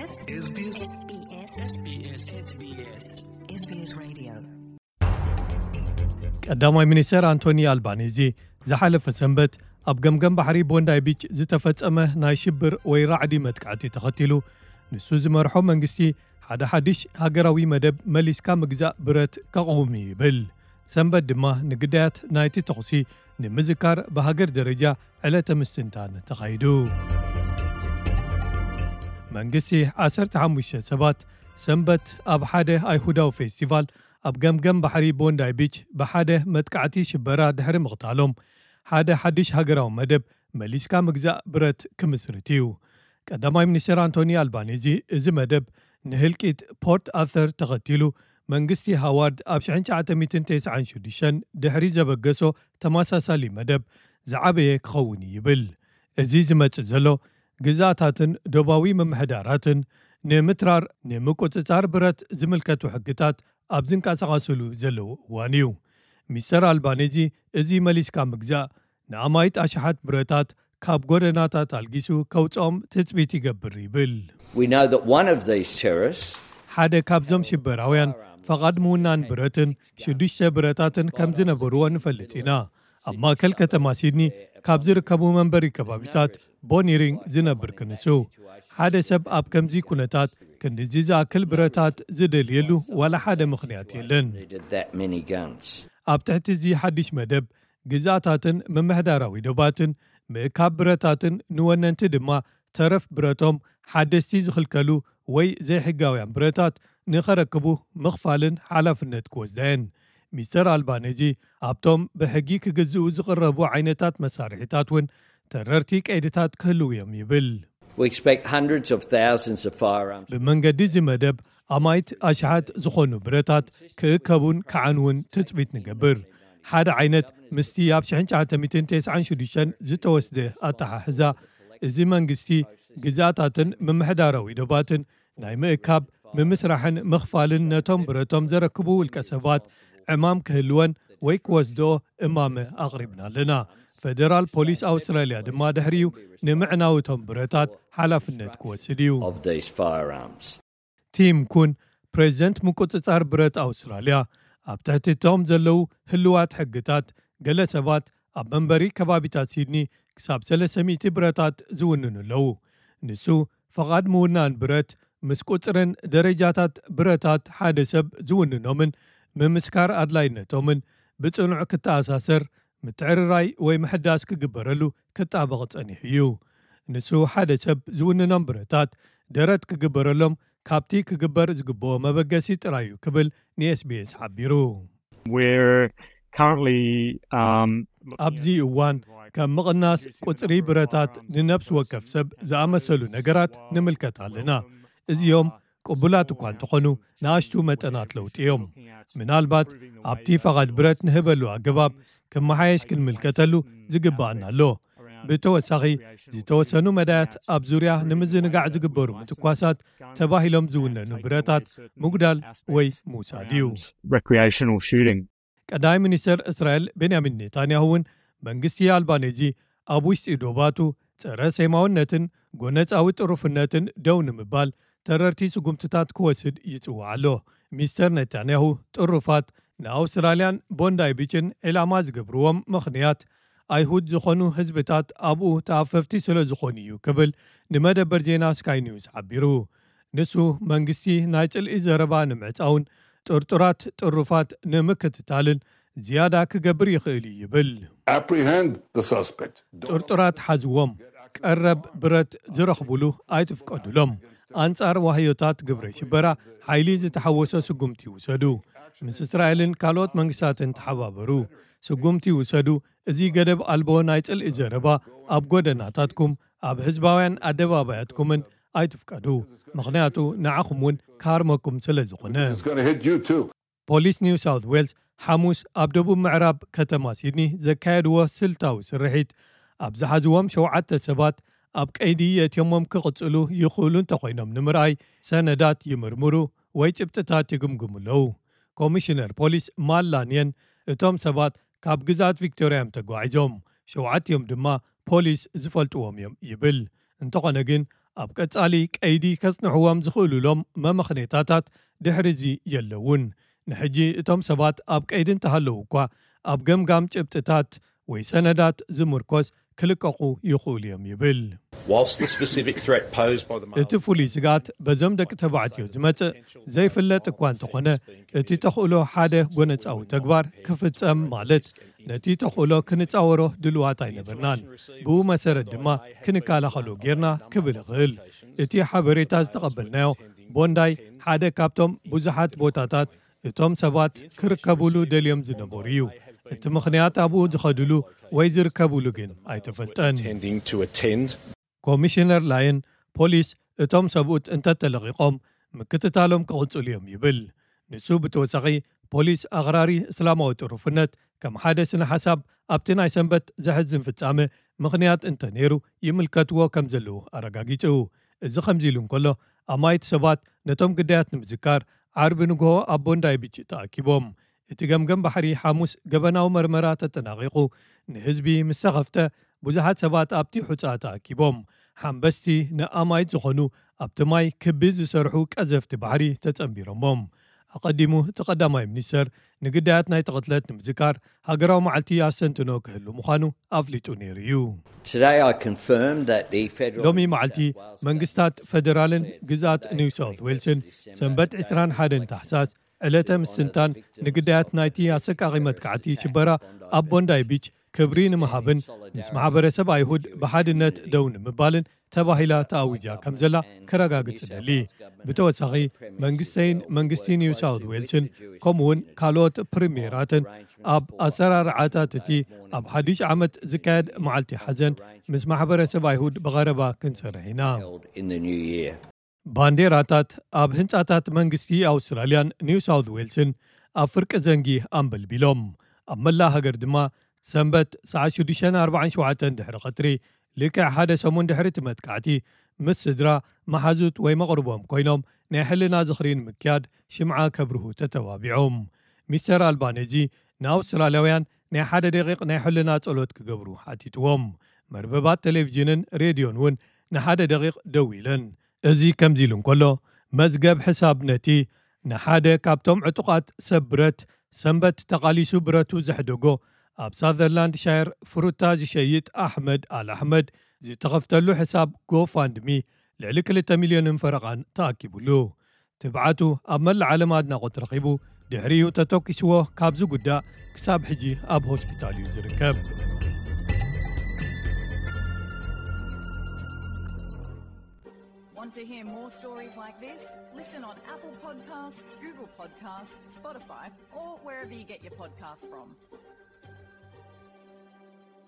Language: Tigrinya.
SBS Radio. ቀዳማይ ሚኒስተር ኣንቶኒ ኣልባኒዚ ዝሓለፈ ሰንበት ኣብ ገምገም ባሕሪ ቦንዳይ ቢች ዝተፈጸመ ናይ ሽብር ወይ ራዕዲ መጥቃዕቲ ተኸቲሉ፣ ንሱ ዝመርሖ መንግስቲ ሓደ ሓድሽ ሃገራዊ መደብ መሊስካ ምግዛእ ብረት ከቕውም እዩ ይብል። ሰንበት ድማ ንግዳያት ናይቲ ተኹሲ ንምዝካር ብሃገር ደረጃ ዕለተ ምስትንታን ተኻይዱ። መንግስቲ ዓሰርተ ሓሙሽተ ሰባት ሰንበት ኣብ ሓደ ኣይሁዳዊ ፌስቲቫል ኣብ ገምገም ባሕሪ ቦንዳይ ቢች ብሓደ መጥቃዕቲ ሽበራ ድሕሪ ምቕታሎም፣ ሓደ ሓድሽ ሃገራዊ መደብ መሊስካ ምግዛእ ብረት ክምስርት እዩ። ቀዳማይ ሚኒስትር ኣንቶኒ ኣልባኒዚ፣ እዚ መደብ ንህልቂት ፖርት ኣርተር ተኸቲሉ፣ መንግስቲ ሃዋርድ ኣብ ሽሕን ትሽዓተ ሚእትን ተስዓን ሽዱሽተን ድሕሪ ዘበገሶ ተመሳሳሊ መደብ ዝዓበየ ክኸውን እዩ ይብል። እዚ ዝመጽእ ዘሎ ግዝኣታትን ዶባዊ ምምሕዳራትን ንምትራር ንምቁጽጻር ብረት ዝምልከቱ ሕግታት ኣብ ዝንቀሳቐስሉ ዘለዉ እዋን እዩ። ሚስተር ኣልባኒዚ፣ እዚ መሊስካ ምግዛእ ንኣማይት ኣሽሓት ብረታት ካብ ጎደናታት ኣልጊሱ ከውጽኦም ትጽቢት ይገብር ይብል። We know that one of these terrorists ሓደ ካብዞም ሽበራውያን ፈቓድ ምውናን ብረትን ሽዱሽተ ብረታትን ከም ዝነበርዎ ንፈልጥ ኢና። ኣብ ማእከል ከተማ ሲድኒ ካብ ዝርከቡ መንበሪ ከባቢታት ቦኒሪንግ ዝነብር ክንሱ፣ ሓደ ሰብ ኣብ ከምዚ ኩነታት ክንድዚ ዝኣክል ብረታት ዝደልየሉ ዋላ ሓደ ምኽንያት የለን። needed that many guns. ኣብ ትሕቲ እዚ ሓድሽ መደብ፣ ግዝኣታትን ምምሕዳራዊ ዶባትን ምእካብ ብረታትን ንወነንቲ ድማ ተረፍ ብረቶም ሓደስቲ ዝኽልከሉ ወይ ዘይሕጋውያን ብረታት ንኸረክቡ ምኽፋልን ሓላፍነት ክወስዳ እየን። ሚስተር ኣልባኔዚ ኣብቶም ብሕጊ ክግዝኡ ዝቕረቡ ዓይነታት መሳርሒታት እውን ተረርቲ ቀይድታት ክህልዉ እዮም ይብል። We expect hundreds of thousands of firearms. ብመንገዲ እዚ መደብ ኣማይት ኣሽሓት ዝኾኑ ብረታት ክእከቡን ክዓንውን ትጽቢት ንገብር። ሓደ ዓይነት ምስቲ ኣብ ሽሕን ትሽዓተ ሚእትን ተስዓን ሽዱሽተን ዝተወስደ ኣተሓሕዛ፣ እዚ መንግስቲ ግዝኣታትን ምምሕዳራዊ ዶባትን ናይ ምእካብ፣ ምምስራሕን ምኽፋልን ነቶም ብረቶም ዘረክቡ ውልቀ ሰባት ዕማም ክህልወን ወይ ክወስድኦ እማመ ኣቕሪብና ኣለና። ፈደራል ፖሊስ ኣውስትራልያ ድማ ድሕሪኡ ንምዕናው እቶም ብረታት ሓላፍነት ክወስድ እዩ። Of these firearms. ቲም ኩን፣ ፕሬዚደንት ምቁጽጻር ብረት ኣውስትራልያ፣ ኣብ ትሕቲ እቶም ዘለዉ ህልዋት ሕግታት፣ ገለ ሰባት ኣብ መንበሪ ከባቢታት ሲድኒ ክሳብ ሰለስተ ሚእቲ ብረታት ዝውንኑ ኣለዉ። ንሱ፣ ፍቓድ ምውናን ብረት ምስ ቁጽርን ደረጃታት ብረታት ሓደ ሰብ ዝውንኖምን ምምስካር ኣድላይነቶምን ብጽኑዕ ክተኣሳሰር፣ ምትዕርራይ ወይ ምሕዳስ ክግበረሉ ክጣበቕ ጸኒሑ እዩ። ንሱ፣ ሓደ ሰብ ዝውንኖም ብረታት ደረት ክግበረሎም ካብቲ ክግበር ዝግብኦ መበገሲ ጥራይ እዩ ክብል ንኤስቢኤስ ሓቢሩ። We're currently um, ኣብዚ እዋን ከም ምቕናስ ቁጽሪ ብረታት፣ ንነፍሲ ወከፍ ሰብ ዝኣመሰሉ ነገራት ንምልከት ኣለና። እዚኦም ቅቡላት እኳ እንተኾኑ፣ ንኣሽቱ መጠናት ለውጢ እዮም። ምናልባት ኣብቲ ፈቓድ ብረት ንህበሉ ኣገባብ ክመሓየሽ ክንምልከተሉ ዝግብኣና ኣሎ። ብተወሳኺ፣ ዝተወሰኑ መዳያት ኣብ ዙርያ ንምዝንጋዕ ዝግበሩ ምትኳሳት ተባሂሎም ዝውነኑ ብረታት ምጉዳል ወይ ምውሳድ እዩ። Recreational shooting. ቀዳማይ ሚኒስተር እስራኤል ቤንያሚን ኔታንያሁ እውን፣ መንግስቲ ኣልባኔዚ ኣብ ውሽጢ ዶባቱ ጸረ ሴማውነትን ጎነጻዊ ጥሩፍነትን ደው ንምባል ተረርቲ ስጉምትታት ክወስድ ይጽውዕ ኣሎ። ሚስተር ኔታንያሁ፣ ጥሩፋት ንኣውስትራልያን ቦንዳይ ቢችን ዒላማ ዝገብርዎም ምኽንያት፣ ኣይሁድ ዝኾኑ ህዝብታት ኣብኡ ተኣፈፍቲ ስለ ዝኾኑ እዩ ክብል ንመደበር ዜና ስካይ ኒውስ ሓቢሩ። ንሱ፣ መንግስቲ ናይ ጽልኢ ዘረባ ንምዕጻውን ጥርጡራት ጥሩፋት ንምክትታልን ዝያዳ ክገብር ይኽእል እዩ ይብል። Apprehend the suspect. ጥርጡራት ሓዝዎም፣ ቀረብ ብረት ዝረኽቡሉ ኣይትፍቀዱሎም። ኣንጻር ዋህዮታት ግብረ ሽበራ ሓይሊ ዝተሓወሶ ስጉምቲ ይውሰዱ። ምስ እስራኤልን ካልኦት መንግስታትን ተሓባበሩ። ስጉምቲ ይውሰዱ። እዚ ገደብ ኣልቦ ናይ ጽልኢ ዘረባ ኣብ ጎደናታትኩም፣ ኣብ ህዝባውያን ኣደባባያትኩምን ኣይትፍቀዱ። ምኽንያቱ ንዓኹም እውን ክሃርመኩም ስለ ዝኾነ። It's going to hit you too. ፖሊስ ኒው ሳውት ዌልስ ሓሙስ ኣብ ደቡብ ምዕራብ ከተማ ሲድኒ ዘካየድዎ ስልታዊ ስርሒት፣ ኣብ ዝሓዝዎም ሸውዓተ ሰባት ኣብ ቀይዲ የእትዮሞም ክቕጽሉ ይኽእሉ እንተኾይኖም ንምርኣይ ሰነዳት ይምርምሩ ወይ ጭብጥታት ይግምግሙ ኣለዉ። ኮሚሽነር ፖሊስ ማል ላንየን፣ እቶም ሰባት ካብ ግዝኣት ቪክቶርያ እዮም ተጓዒዞም፣ ሸውዓቲኦም ድማ ፖሊስ ዝፈልጥዎም እዮም ይብል። እንተኾነ ግን፣ ኣብ ቀጻሊ ቀይዲ ከጽንሕዎም ዝኽእሉሎም መመኽኔታታት ድሕሪዚ የለውን። ንሕጂ እቶም ሰባት ኣብ ቀይዲ እንተሃለዉ እኳ፣ ኣብ ገምጋም ጭብጥታት ወይ ሰነዳት ዝምርኮስ ክልቀቑ ይኽእሉ እዮም ይብል። Whilst the specific threat posed by the እቲ ፍሉይ ስግኣት በዞም ደቂ ተባዕትዮ ዝመጽእ ዘይፍለጥ እኳ እንተኾነ፣ እቲ ተኽእሎ ሓደ ጎነጻዊ ተግባር ክፍጸም ማለት ነቲ ተኽእሎ ክንጻወሮ ድልዋት ኣይነበርናን። ብኡ መሰረት ድማ ክንከላኸሎ ጌርና ክብል እኽእል። እቲ ሓበሬታ ዝተቐበልናዮ ቦንዳይ ሓደ ካብቶም ብዙሓት ቦታታት እቶም ሰባት ክርከቡሉ ደልዮም ዝነበሩ እዩ። እቲ ምኽንያት ኣብኡ ዝኸድሉ ወይ ዝርከቡሉ ግን ኣይተፈልጠን። Tending to attend ኮሚሽነር ላየን ፖሊስ እቶም ሰብኡት እንተተለቒቖም ምክትታሎም ክቕጽሉ እዮም ይብል። ንሱ ብተወሳኺ ፖሊስ ኣኽራሪ እስላማዊ ጥሩፍነት ከም ሓደ ስነ ሓሳብ ኣብቲ ናይ ሰንበት ዘሕዝን ፍጻመ ምኽንያት እንተነይሩ ይምልከትዎ ከም ዘለዉ ኣረጋጊጹ። እዚ ከምዚ ኢሉ እንከሎ ኣማይት ሰባት ነቶም ግዳያት ንምዝካር ዓርቢ ንግሆ ኣብ ቦንዳይ ቢች ተኣኪቦም። እቲ ገምገም ባሕሪ ሓሙስ ገበናዊ መርመራ ተጠናቒቑ ንህዝቢ ምስ ተኸፍተ ብዙሓት ሰባት ኣብቲ ሑጻ ተኣኪቦም። ሓምበስቲ ንኣማይት ዝኾኑ ኣብቲ ማይ ክቢ ዝሰርሑ ቀዘፍቲ ባሕሪ ተጸንቢሮሞም። ኣቐዲሙ እቲ ቀዳማይ ሚኒስተር ንግዳያት ናይቲ ቅትለት ንምዝካር ሃገራዊ መዓልቲ ኣስተንትኖ ክህሉ ምዃኑ ኣፍሊጡ ነይሩ እዩ። Today I confirmed that the federal ሎሚ መዓልቲ መንግስታት ፈደራልን ግዝኣት ኒው ሳውት ዌልስን ሰንበት ዕስራን ሓደን ታሕሳስ ዕለተ ምስትንታን ንግዳያት ናይቲ ኣሰቃቒ መጥቃዕቲ ሽበራ ኣብ ቦንዳይ ቢች ክብሪ ንምሃብን ምስ ማሕበረሰብ ኣይሁድ ብሓድነት ደው ንምባልን ተባሂላ ተኣዊጃ ከም ዘላ ከረጋግጽ እደሊ። ብተወሳኺ መንግስተይን መንግስቲ ኒው ሳውት ዌልስን ከምኡውን ካልኦት ፕሪሜራትን ኣብ ኣሰራርዓታት እቲ ኣብ ሓድሽ ዓመት ዝካየድ መዓልቲ ሓዘን ምስ ማሕበረሰብ ኣይሁድ ብቐረባ ክንሰርሕ ኢና። held in the new year. ባንዴራታት ኣብ ህንጻታት መንግስቲ ኣውስትራልያን ኒው ሳውት ዌልስን ኣብ ፍርቂ ዘንጊ ኣንበልቢሎም። ኣብ መላእ ሃገር ድማ ሰንበት ሰዓት ሽዱሽተ ኣርባዓን ሸውዓተን ድሕሪ ቀትሪ ልክዕ ሓደ ሰሙን ድሕሪ እቲ መጥቃዕቲ ምስ ስድራ፣ መሓዙት ወይ መቕርቦም ኮይኖም ናይ ሕልና ዝኽሪ ንምክያድ ሽምዓ ከብርሁ ተተባቢዖም። ሚስተር ኣልባኔዚ ንኣውስትራልያውያን ናይ ሓደ ደቂቕ ናይ ሕልና ጸሎት ክገብሩ ሓቲትዎም። መርበባት ቴሌቪዥንን ሬድዮን እውን ንሓደ ደቂቕ ደው ኢለን። እዚ ከምዚ ኢሉ እንከሎ መዝገብ ሕሳብ ነቲ ንሓደ ካብቶም ዕጡቓት ሰብ ብረት ሰንበት ተቓሊሱ ብረቱ ዘሕደጎ ኣብ ሳዘርላንድ ሻየር ፍሩታ ዝሸይጥ ኣሕመድ ኣል ኣሕመድ ዝተኸፍተሉ ሕሳብ ጎፋንድሚ ልዕሊ ክልተ ሚልዮንን ፈረቓን ተኣኪቡሉ። ትብዓቱ ኣብ መላእ ዓለም ኣድናቖት ረኺቡ ድሕሪኡ ተተኪስዎ ካብ ዝጉዳእ ክሳብ ሕጂ ኣብ ሆስፒታል እዩ ዝርከብ። Want to hear more stories like this? Listen on Apple Podcasts, Google Podcasts, Spotify, or wherever you get your podcasts from.